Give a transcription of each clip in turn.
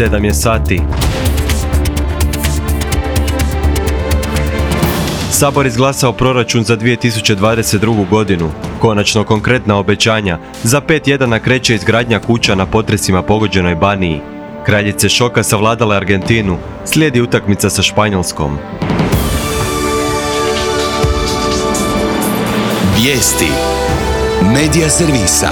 7 je sati. Sabor izglasao proračun za 2022. godinu. Konačno konkretna obećanja. Za 5 tjedana kreće izgradnja kuća na potresima pogođenoj Baniji. Kraljice šoka savladale Argentinu. Slijedi utakmica sa Španjolskom. Vijesti Medija servisa.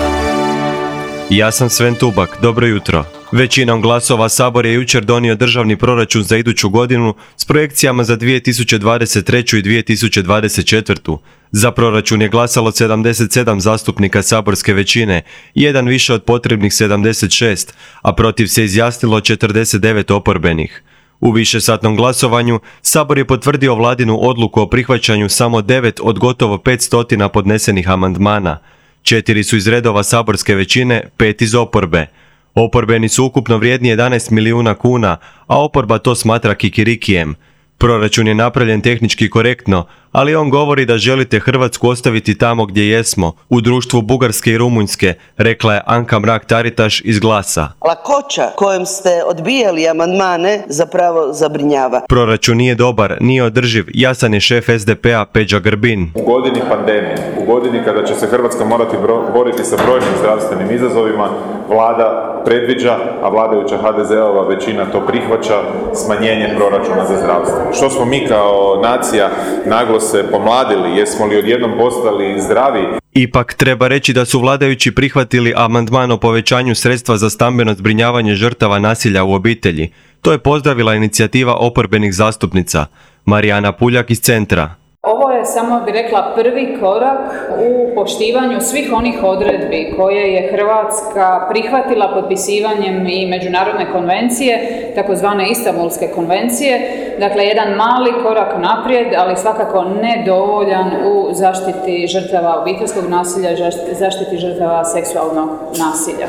Ja sam Sven Tubak, dobro jutro. Većinom glasova Sabor je jučer donio državni proračun za iduću godinu s projekcijama za 2023. i 2024. Za proračun je glasalo 77 zastupnika saborske većine, jedan više od potrebnih 76, a protiv se izjasnilo 49 oporbenih. U višesatnom glasovanju Sabor je potvrdio vladinu odluku o prihvaćanju samo 9 od gotovo 500 podnesenih amandmana. 4 su iz redova saborske većine, 5 iz oporbe. Oporbeni su ukupno vrijedni 11 milijuna kuna, a oporba to smatra kikirikijem. Proračun je napravljen tehnički korektno, ali on govori da želite Hrvatsku ostaviti tamo gdje jesmo, u društvu Bugarske i Rumunjske, rekla je Anka Mrak-Taritaš iz Glasa. Lakoća kojom ste odbijali amandmane zapravo zabrinjava. Proračun nije dobar, nije održiv, jasan je šef SDP-a Peđa Grbin. U godini pandemije, u godini kada će se Hrvatska morati boriti sa brojnim zdravstvenim izazovima, Vlada predviđa, a vladajuća HDZ-ova većina to prihvaća, smanjenje proračuna za zdravstvo. Što smo mi kao nacija naglo se pomladili, jesmo li odjednom postali zdravi? Ipak treba reći da su vladajući prihvatili amandman o povećanju sredstva za stambeno zbrinjavanje žrtava nasilja u obitelji. To je pozdravila inicijativa oporbenih zastupnica. Marijana Puljak iz Centra. Ovo je, samo bih rekla, prvi korak u poštivanju svih onih odredbi koje je Hrvatska prihvatila potpisivanjem i međunarodne konvencije, takozvane Istanbulske konvencije. Dakle, jedan mali korak naprijed, ali svakako nedovoljan u zaštiti žrtava obiteljskog nasilja, zaštiti žrtava seksualnog nasilja.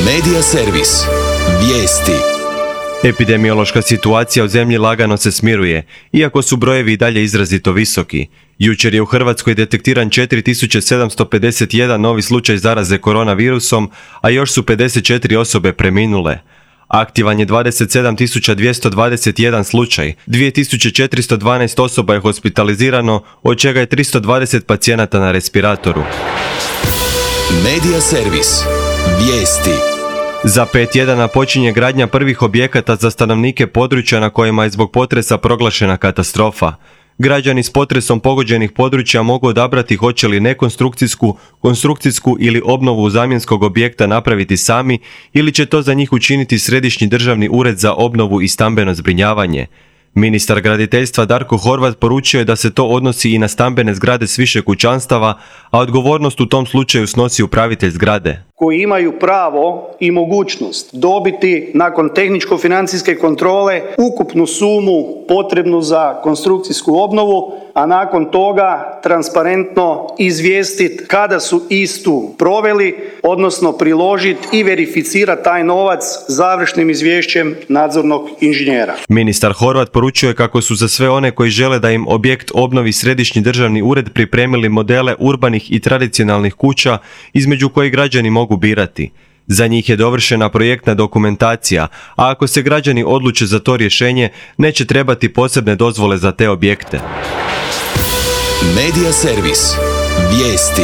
Medija servis. Vijesti. Epidemiološka situacija u zemlji lagano se smiruje, iako su brojevi i dalje izrazito visoki. Jučer je u Hrvatskoj detektiran 4751 novi slučaj zaraze koronavirusom, a još su 54 osobe preminule. Aktivan je 27.221 slučaj, 2412 osoba je hospitalizirano, od čega je 320 pacijenata na respiratoru. Medija servis. Vijesti. Za 5 tjedana počinje gradnja prvih objekata za stanovnike područja na kojima je zbog potresa proglašena katastrofa. Građani s potresom pogođenih područja mogu odabrati hoće li nekonstrukcijsku, konstrukcijsku ili obnovu zamjenskog objekta napraviti sami ili će to za njih učiniti Središnji državni ured za obnovu i stambeno zbrinjavanje. Ministar graditeljstva Darko Horvat poručio je da se to odnosi i na stambene zgrade s više kućanstava, a odgovornost u tom slučaju snosi upravitelj zgrade. Koji imaju pravo i mogućnost dobiti nakon tehničko-financijske kontrole ukupnu sumu potrebnu za konstrukcijsku obnovu, a nakon toga transparentno izvijestiti kada su istu proveli, odnosno priložiti i verificirati taj novac završnim izvješćem nadzornog inženjera. Ministar Horvat poručuje kako su za sve one koji žele da im objekt obnovi Središnji državni ured pripremili modele urbanih i tradicionalnih kuća između kojih građani mogu birati. Za njih je dovršena projektna dokumentacija, a ako se građani odluče za to rješenje, neće trebati posebne dozvole za te objekte. Medija servis. Vijesti.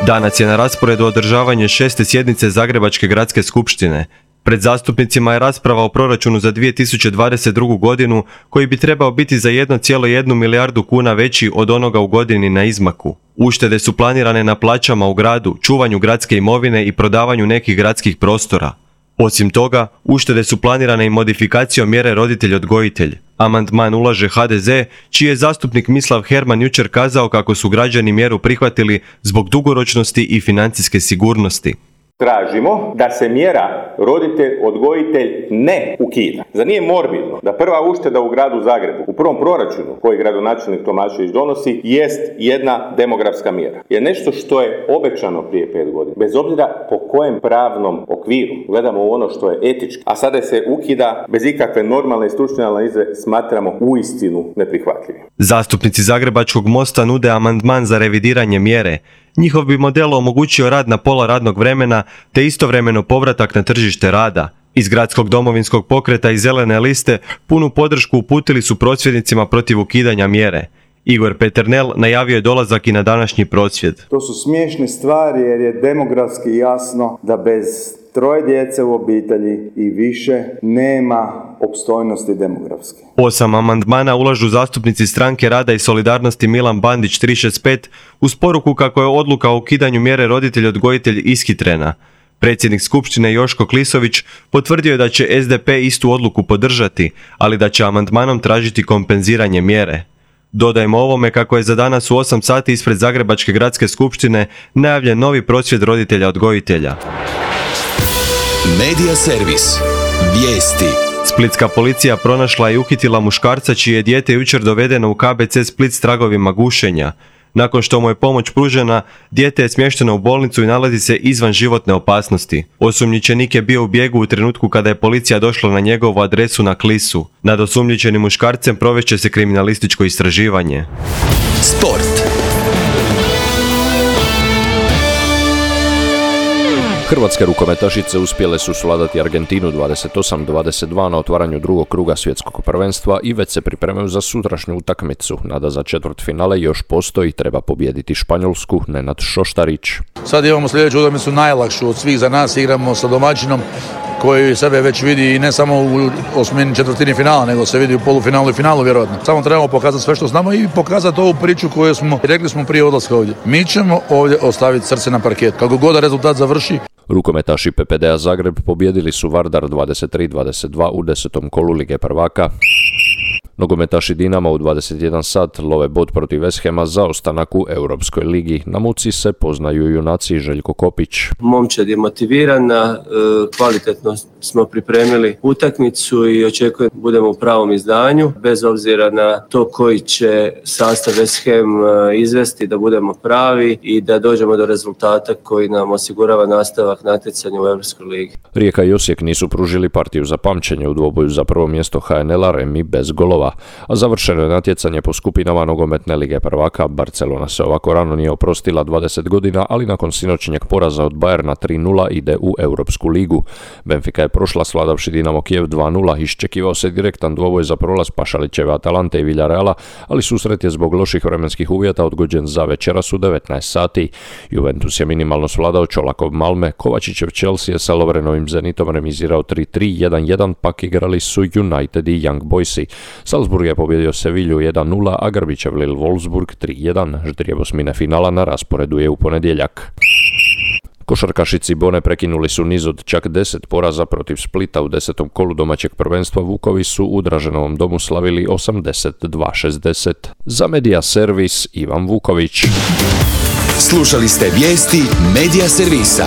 Danas je na rasporedu održavanje 6. sjednice Zagrebačke gradske skupštine. Pred zastupnicima je rasprava o proračunu za 2022. godinu koji bi trebao biti za 1,1 milijardu kuna veći od onoga u godini na izmaku. Uštede su planirane na plaćama u gradu, čuvanju gradske imovine i prodavanju nekih gradskih prostora. Osim toga, uštede su planirane i modifikacijom mjere roditelj-odgojitelj. Amandman ulaže HDZ, čiji je zastupnik Mislav Herman jučer kazao kako su građani mjeru prihvatili zbog dugoročnosti i financijske sigurnosti. Tražimo da se mjera roditelj-odgojitelj ne ukida. Zar nije morbidno da prva ušteda u gradu Zagrebu, u prvom proračunu koji gradonačelnik Tomašević donosi, jest jedna demografska mjera. Je nešto što je obećano prije 5 godina. Bez obzira po kojem pravnom okviru gledamo u ono što je etički, a sada se ukida bez ikakve normalne i stručne analize, smatramo uistinu neprihvatljivim. Zastupnici Zagrebačkog mosta nude amandman za revidiranje mjere. Njihov bi model omogućio rad na pola radnog vremena te istovremeno povratak na tržište rada. Iz Gradskog domovinskog pokreta i Zelene liste punu podršku uputili su prosvjednicima protiv ukidanja mjere. Igor Peternel najavio je dolazak i na današnji prosvjed. To su smiješne stvari jer je demografski jasno da bez 3 djece u obitelji i više nema opstojnosti demografske. 8 amandmana ulažu zastupnici Stranke rada i solidarnosti Milan Bandić 365 uz poruku kako je odluka o ukidanju mjere roditelj-odgojitelj ishitrena. Predsjednik Skupštine Joško Klisović potvrdio je da će SDP istu odluku podržati, ali da će amandmanom tražiti kompenziranje mjere. Dodajmo ovome kako je za danas u 8 sati ispred Zagrebačke gradske skupštine najavljen novi prosvjed roditelja-odgojitelja. Medija servis. Vijesti. Splitska policija pronašla i uhitila muškarca čije je dijete jučer dovedeno u KBC Split s tragovima gušenja. Nakon što mu je pomoć pružena, dijete je smješteno u bolnicu i nalazi se izvan životne opasnosti. Osumnjičenik je bio u bijegu u trenutku kada je policija došla na njegovu adresu na Klisu. Nad osumnjičenim muškarcem provešće se kriminalističko istraživanje. Sport. Hrvatske rukometašice uspjele su svladati Argentinu 28-22 na otvaranju drugog kruga svjetskog prvenstva i već se pripremaju za sutrašnju utakmicu. Nada za četvrtfinale još postoji, treba pobijediti Španjolsku. Nenad Šoštarić. Sad imamo sljedeću utakmicu najlakšu od svih za nas, igramo sa domaćinom koji sebe već vidi i ne samo u osmini četvrtini finala, nego se vidi u polufinalu i finalu vjerojatno. Samo trebamo pokazati sve što znamo i pokazati ovu priču koju smo rekli smo prije odlaska ovdje. Mi ćemo ovdje ostaviti srce na parket. Kako god rezultat završi. Rukometaši PPD-a Zagreb pobijedili su Vardar 23-22 u 10. kolu Lige prvaka. Nogometaši Dinama u 21 sat love bod protiv West Hama za ostanak u Europskoj ligi. Na muci se poznaju junaci Željko Kopić. Momčad je motivirana, kvalitetno smo pripremili utakmicu i očekujem da budemo u pravom izdanju. Bez obzira na to koji će sastav West Ham izvesti, da budemo pravi i da dođemo do rezultata koji nam osigurava nastavak natjecanja u Europskoj ligi. Rijeka i Osijek nisu pružili partiju za pamćenje u dvoboju za prvo mjesto HNL-a, remi bez golova. A završeno je natjecanje po skupinama nogometne lige prvaka. Barcelona se ovako rano nije oprostila 20 godina, ali nakon sinoćnjeg poraza od Bayerna 3-0 ide u Europsku ligu. Benfica je prošla svladavši Dinamo Kijev 2-0, iščekivao se direktan dvoboj za prolaz Pašalićeve Atalante i Villareala, ali susret je zbog loših vremenskih uvjeta odgođen za večeras u 19 sati. Juventus je minimalno svladao Čolakov Malme, Kovačićev Chelsea je sa Lovrenovim Zenitom remizirao 3-3, 1-1, pak igrali su United i Young Boysi. Salzburg je pobjedio Sevilju 1-0, a Grbićev Lille Wolfsburg 3-1. Ždrijeb osmine finala na rasporedu je u ponedjeljak. Košarkaši Cibone prekinuli su niz od čak 10 poraza protiv Splita u 10. kolu domaćeg prvenstva. Vukovi su u Draženovom domu slavili 82-60. Za Medija servis Ivan Vuković. Slušali ste vijesti Medija servisa.